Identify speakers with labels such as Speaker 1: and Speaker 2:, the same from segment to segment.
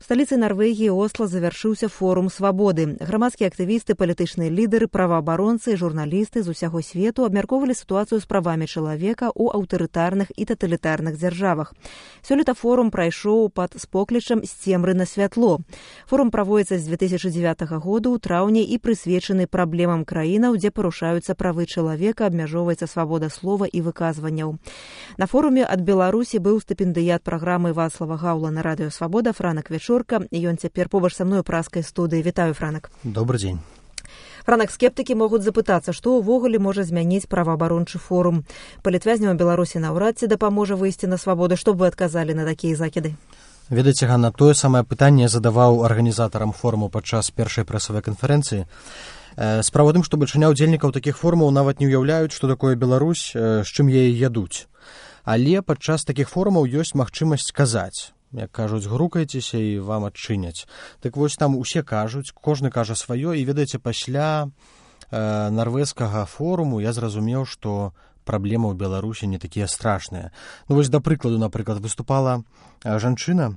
Speaker 1: сталіцы Нарвегіі Осло завяршыўся форум свабоды. Грамадскія актывісты, палітычныя лідары, праваабаронцы і журналісты з усяго свету абмяркоўвалі сітуацыю з правамі чалавека ў аўтарытарных і таталітарных дзяржавах. Сёлета форум прайшоў пад споклічам «З цемры на святло». Форум праводзіцца з 2009 года ў траўні і прысвечаны праблемам краінаў, дзе парушаюцца правы чалавека, абмяжоўваецца свабода слова і выказванняў. На форуме ад Беларусі быў стыпендыят праграмы Вацлава Гаўла на радыё «Свабода» Франак Вечорка. Ён цяпер побач са мной у празкай студыі. Вітаю, Франак.
Speaker 2: Добрый дзень.
Speaker 1: Франак, скептыкі могуць запытацца, што ўвогуле можа змяніць праваабарончы форум. Палітвязням Беларусі наўрад ці дапаможа выйсці на свабоду. Што б вы адказалі на такія закіды?
Speaker 2: Ведаеце, Ганна, тое самае пытанне задаваў арганізатарам форуму падчас першай прэсавай канферэнцыі. Справа ў тым, што бальшыня ўдзельнікаў такіх форумаў нават не ўяўляюць, што такое Беларусь, з чым яе ядуць. Але падчас такіх форумаў ёсць магчымасць казаць. Як кажуць, грукайцеся і вам адчыняць. Так вось там усе кажуць, кожны кажа сваё, і ведаеце, пасля нарвежскага форуму я зразумеў, што праблемы ў Беларусі не такія страшныя. Ну вось, да прыкладу, напрыклад, выступала жанчына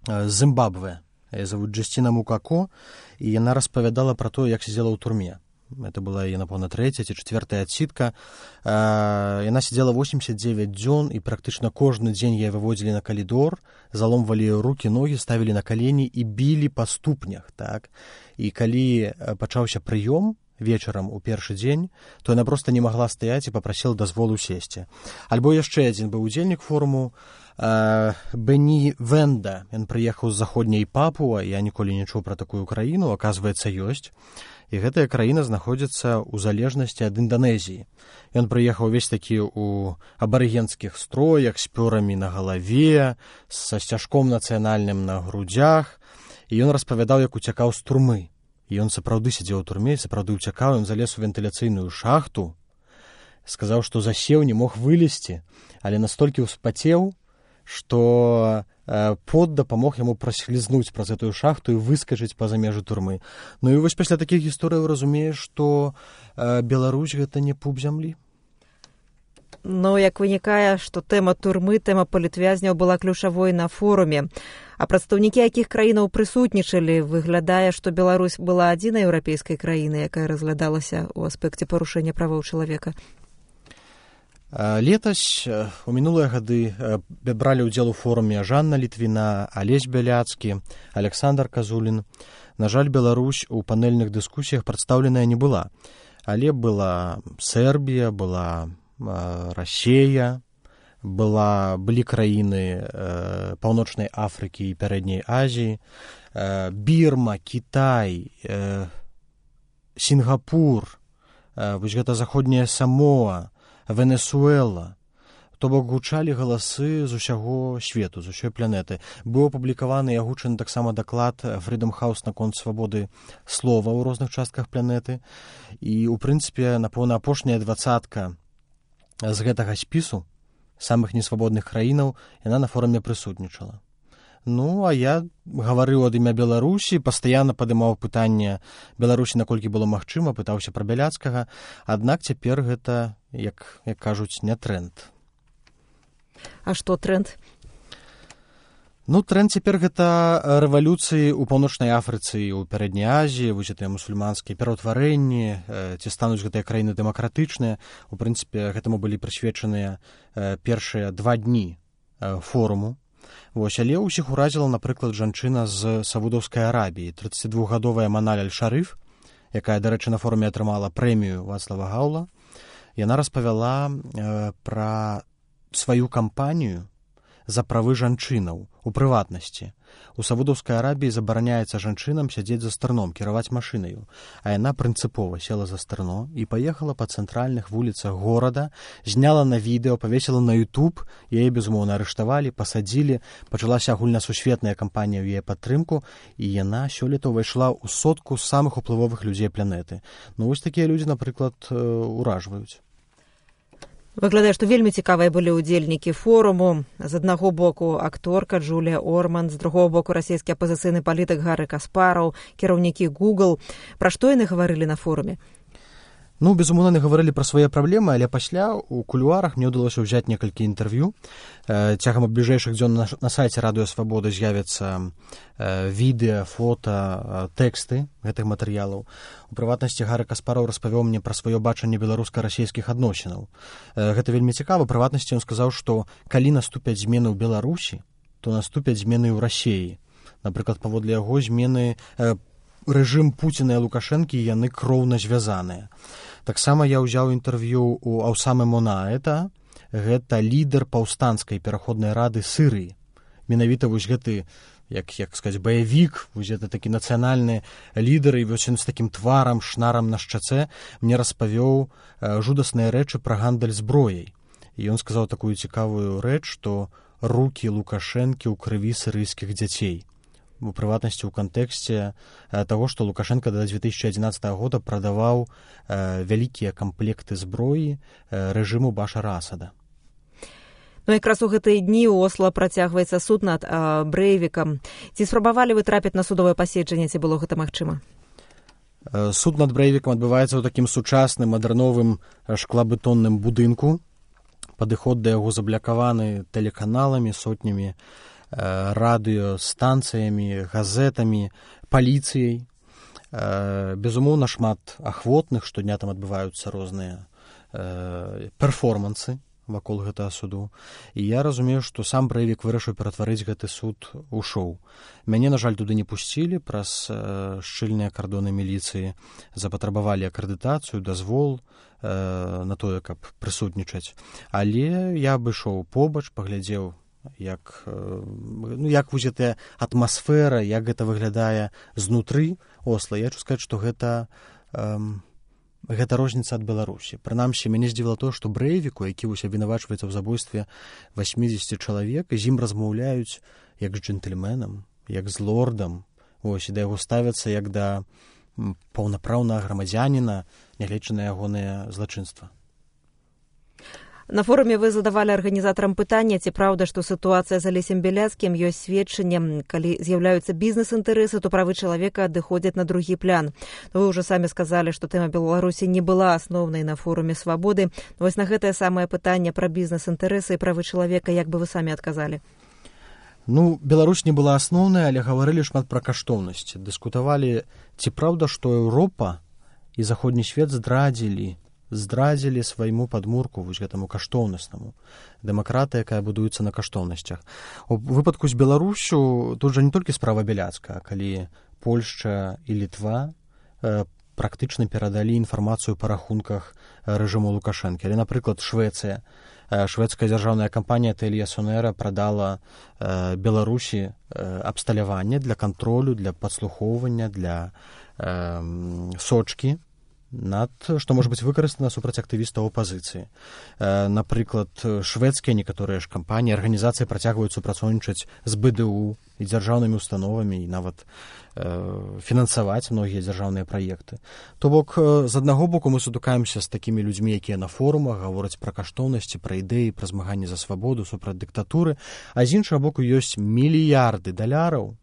Speaker 2: з Зімбабве, яе завуць Джасціна Мукако, і яна распавядала пра тое, як сидзела ў турме. Это была яе, напэўна, 3-я ці 4-я адсідка. Яна сидзела 89 дзён, і практычна кожны дзень яе выводзілі на калідор, заломвалі рукі, ногі, ставілі на калені і білі па ступнях. Так? І калі пачаўся прыём вечарам у першы дзень, то яна проста не магла стаяць і папрасіла дазволу сесці. Альбо яшчэ адзін быў удзельнік форуму, Бені Венда. Ён прыехаў з заходняй Папуа, я ніколі не чуў пра такую краіну, аказваецца, ёсць. І гэтая краіна знаходзіцца ў залежнасці ад Інданезіі. Ён прыехаў увесь такі ў абарыгенскіх строях, з пёрамі на галаве, са сцяжком нацыянальным на грудзях, і ён распавядаў, як уцякаў з турмы. І ён сапраўды сядзеў у турме, сапраўды уцякаў, ён залез у вентыляцыйную шахту, сказаў, што засеў, не мог вылезці, але настолькі ўспацеў, што пот дапамог яму праслізнуць праз гэтую шахту і выскачыць па-за межы турмы. Ну і вось пасля такіх гісторыяў разумееш, што Беларусь гэта не пуп зямлі.
Speaker 1: Ну, як вынікае, што тэма турмы, тэма палітвязняў была ключавой на форуме. А прадстаўнікі якіх краінаў прысутнічалі? Выглядае, што Беларусь была адзінай еўрапейскай краінай, якая разглядалася ў аспекце парушэння правоў чалавека.
Speaker 2: Летась, у мінулыя гады, бралі ўдзел у форуме Жанна Літвіна, Алесь Бяляцкі, Александр Казулін. На жаль, Беларусь у панельных дыскусіях прадстаўленая не была. Але была Сербія, была Расія, былі краіны Паўночнай Афрыкі і Пярэдняй Азіі, Бірма, Кітай, Сінгапур, вось гэта заходняя Самоа, Венесуэла. То бок гучалі галасы з усяго свету, з усёй планеты. Быў апублікаваны і агучаны таксама даклад Freedom House наконт свабоды слова ў розных частках планеты. І, у прынцыпе, напэўна, апошняя 20-ка з гэтага спісу самых несвабодных краінаў яна на форуме прысутнічала. Ну, а я гаварыў ад імя Беларусі, пастаянна падымаў пытанне Беларусі, наколькі было магчыма, пытаўся пра Бяляцкага, аднак цяпер гэта, як кажуць, не тренд.
Speaker 1: А што тренд?
Speaker 2: Ну, тренд цяпер гэта рэвалюцыі ў Паўночнай Афрыцы і ў Пярэдняй Азіі, вось гэтыя мусульманскія пераўтварэнні, ці стануць гэтыя краіны дэмакратычныя. У прынцыпе, гэтаму былі прысвечаныя першыя 2 дні форуму. Вось, але ўсіх уразіла, напрыклад, жанчына з Саудаўскай Арабіі, 32-гадовая Маналь Аль-Шарыф, якая, дарэчы, на форуме атрымала прэмію Вацлава Гаўла. Яна распавяла пра сваю кампанію за правы жанчынаў у прыватнасці. У Саудаўскай Арабіі забараняецца жанчынам сядзець за стырном, кіраваць машынаю, а яна прынцыпова села за стырно і паехала па цэнтральных вуліцах горада, зняла на відэо, павесіла на YouTube, яе, безумоўна, арыштавалі, пасадзілі, пачалася агульнасусветная кампанія ў яе падтрымку, і яна сёлета ўвайшла ў сотку самых уплывовых людзей планеты. Ну, вось такія людзі, напрыклад, уражваюць.
Speaker 1: Выглядае, што вельмі цікавыя былі ўдзельнікі форуму. З аднаго боку акторка Джулія Орман, з другого боку расійскі апазіцыйны палітык Гары Каспараў, кіраўнікі Google. Пра што яны гаварылі на форуме?
Speaker 2: Ну, безумоўна, гаварылі пра свае праблемы, але пасля у кулуарах мне ўдалося ўзяць некалькі інтэрв'ю. Цягам бліжэйшых дзён на сайце Радыё Свабода з'явяцца відэа, фота, тэксты гэтых матэрыялаў. У прыватнасці Гары Каспараў распавёў мне пра сваё бачанне беларуска-расійскіх адносінаў. Гэта вельмі цікава. У прыватнасці ён сказаў, што калі наступяць змены ў Беларусі, то наступяць змены ў Расіі. Напрыклад, паводле яго змены рэжым Пуціна і Лукашэнкі яны кроўна звязаныя. Таксама я ўзяў інтэрв'ю у Аўсамы Монаэта, гэта лідар паўстанцкай пераходнай рады Сырыі. Менавіта вось гэты, як сказаць, баявік, вось гэта такі нацыянальны лідар, і вось ён з такім тварам, шнарам на шчацэ мне распавёў жудасныя рэчы пра гандаль зброяй. І ён сказаў такую цікавую рэч, што рукі Лукашэнкі ў крыві сырыйскіх дзяцей. У прыватнасці ў кантэксце таго, што Лукашенко да 2011 года прадаваў вялікія камплекты зброі рэжыму Башара Асада.
Speaker 1: Ну, якраз у гэтыя дні ў Осла працягваецца суд над Брэйвікам. Ці спрабавалі вы трапіць на судовае паседжанне, ці было гэта магчыма?
Speaker 2: Суд над Брэйвікам адбываецца ў такім сучасным, мадэрновым шклабетонным будынку. Падыход да яго заблякаваны тэлеканаламі, сотнямі радыёстанцыямі, газетамі, паліцыяй. Безумоўна, шмат ахвотных, штодня там адбываюцца розныя перформансы вакол гэтага суду. І я разумею, што сам Брэйвік вырашыў ператварыць гэты суд у шоу. Мяне, на жаль, туды не пусцілі, праз шчыльныя кардоны міліцыі запатрабавалі акрэдытацыю, дазвол на тое, каб прысутнічаць. Але я абышоў побач, паглядзеў, як вось гэтая атмасфера, як гэта выглядае знутры Осла. Я хочу сказаць, што гэта розніца ад Беларусі. Прынамсі, мяне здзівіла тое, што Брэйвіку, які вось абвінавачваецца ў забойстве 80 чалавек, з ім размаўляюць як з джентльменам, як з лордам, ось, і да яго ставяцца як да паўнапраўнага грамадзяніна, нягледзячы на ягоныя злачынства.
Speaker 1: На форуме вы задавалі арганізатарам пытання, ці праўда, што сітуацыя з Алесем Бяляцкім ёсць сведчаннем, калі з'яўляюцца бізнес-інтарэсы, то правы чалавека адыходзяць на другі план. Вы ўжо самі сказалі, што тэма Беларусі не была асноўнай на форуме свабоды. Вось на гэтае самае пытанне пра бізнес-інтарэсы і правы чалавека, як бы вы самі адказалі?
Speaker 2: Ну, Беларусь не была асноўнай, але гаварылі шмат пра каштоўнасці. Дыскутавалі, ці праўда, што Еўропа і заходні свет здрадзілі свайму падмурку, вось гэтаму каштоўнаснаму. Дэмакратыя, якая будуецца на каштоўнасцях. У выпадку з Беларусю тут жа не толькі справа Бяляцкага, калі Польшча і Літва практычна перадалі інфармацыю па рахунках рэжыму Лукашэнкі. Але, напрыклад, Швецыя. Шведская дзяржаўная кампанія Тэлія Сонера прадала Беларусі абсталяванне для кантролю, для падслухоўвання, для сочкі, што можа быць выкарыстана супраць актывістаў апазіцыі. Напрыклад, шведскія некаторыя ж кампаніі, арганізацыі працягваюць супрацоўнічаць з БДУ і дзяржаўнымі установамі і нават фінансаваць многія дзяржаўныя праекты. То бок, з аднаго боку мы сутыкаемся з такімі людзьмі, якія на форумах гавораць пра каштоўнасці, пра ідэі, пра змаганне за свабоду, супраць дыктатуры, а з іншага боку ёсць мільярды даляраў,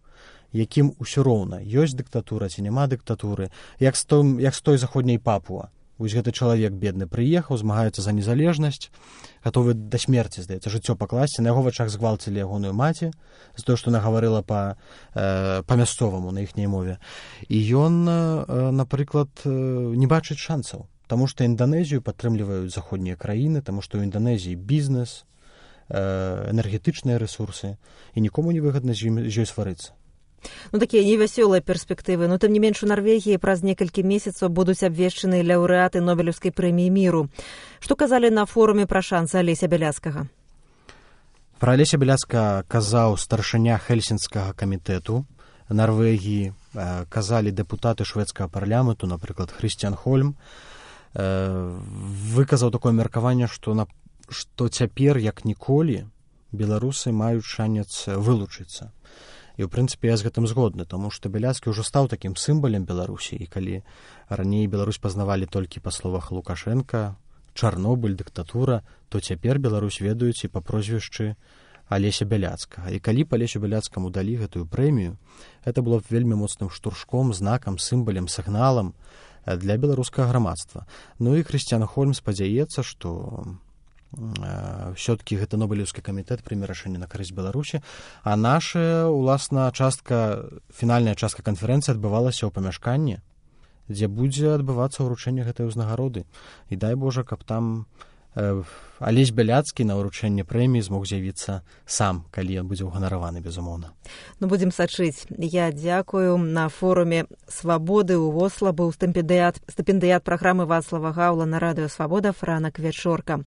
Speaker 2: якім усё роўна, ёсць дыктатура ці няма дыктатуры, як з той заходняй Папуа. Вось гэты чалавек бедны прыехаў, змагаецца за незалежнасць, гатовы да смерці, здаецца, жыццё пакласці. На яго вачах згвалцілі ягоную маці з тое, што нагаварыла па-мясцоваму на іхняй мове. І ён, напрыклад, не бачыць шансаў, таму што Інданезію падтрымліваюць заходнія краіны, таму што ў Інданезіі бізнес, энергетычныя рэсурсы, і нікому не выгадна з ёй сварыцца.
Speaker 1: Ну, такія невясёлыя перспектывы. Но, тым не менш, у Нарвегіі праз некалькі месяцаў будуць абвешчаны лаўрэаты Нобелеўскай прэміі міру. Што казалі на форуме пра шансы Алеся Бяляцкага?
Speaker 2: Пра Алеся Бяляцкага казаў старшыня Хельсінскага камітэту Нарвегіі, казалі дэпутаты шведскага парламенту, напрыклад, Хрысціян Хольм. Выказаў такое меркаванне, што цяпер, як ніколі, беларусы маюць шанец вылучыцца. І, ў прынцыпе, я з гэтым згодны, таму што Бяляцкі ўжо стаў такім сімвалем Беларусі, і калі раней Беларусь пазнавалі толькі па словах Лукашенка, Чарнобыль, дыктатура, то цяпер Беларусь ведаюць і па прозвішчы Алеся Бяляцкага. І калі б Алесю Бяляцкаму далі гэтую прэмію, гэта было б вельмі моцным штуршком, знакам, сімвалем, сігналам для беларускага грамадства. Ну і Крысціян Хольм спадзяецца, што все-таки гэта Нобелеўскі камітэт прыме рашэнне на карысць Беларусі, а наша, уласна, фінальная частка канферэнцыі адбывалася ў памяшканні, дзе будзе адбывацца ўручэнне гэтай узнагароды. І дай Божа, каб там Алесь Бяляцкі на ўручэнне прэміі змог з'явіцца сам, калі ён будзе ўганараваны, безумоўна.
Speaker 1: Ну, будзем сачыць. Я дзякую. На форуме «Свабоды» ў Осла быў стыпендыят праграмы Вацлава Гаўла на радыё «Свабода» Франак Вечорка.